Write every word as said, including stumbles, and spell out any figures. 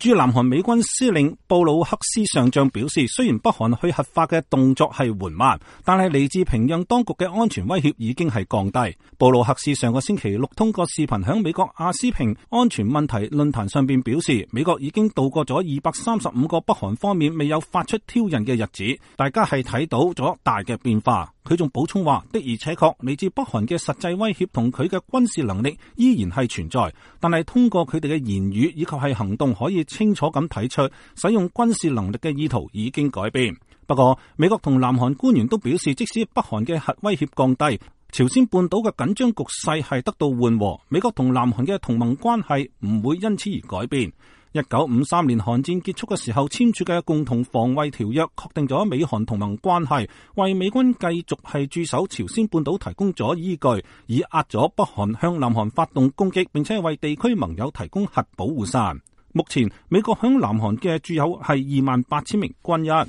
駐南韓美軍司令布魯克斯上將表示，雖然北韓去核化嘅動作係緩慢，但係嚟自平壤當局嘅安全威脅已經係降低。布魯克斯上個星期六通過視頻響美國亞斯平安全問題論壇上邊表示，美國已經度過咗二百三十五個北韓方面未有發出挑釁嘅日子，大家係睇到咗大嘅變化。佢仲補充話，的而且確嚟自北韓嘅實際威脅同佢嘅軍事能力依然係存在，但係通過佢哋嘅言語以及係行動可以清楚咁睇出使用軍事能力嘅意圖已經改變。不過美國同南韓官員都表示，即使北韓嘅核威脅降低，朝鮮半島嘅緊張局勢係得到緩和，美國同南韓嘅同盟關係唔會因此而改變。一九五三年韓戰結束嘅時候簽署嘅共同防衛條約確定咗美韓同盟關係，為美軍繼續係駐守朝鮮半島提供咗依據，以壓咗北韓向南韓發動攻擊，並且為地區盟友提供核保護傘。目前美國響南韓嘅駐有係二萬八千名軍人。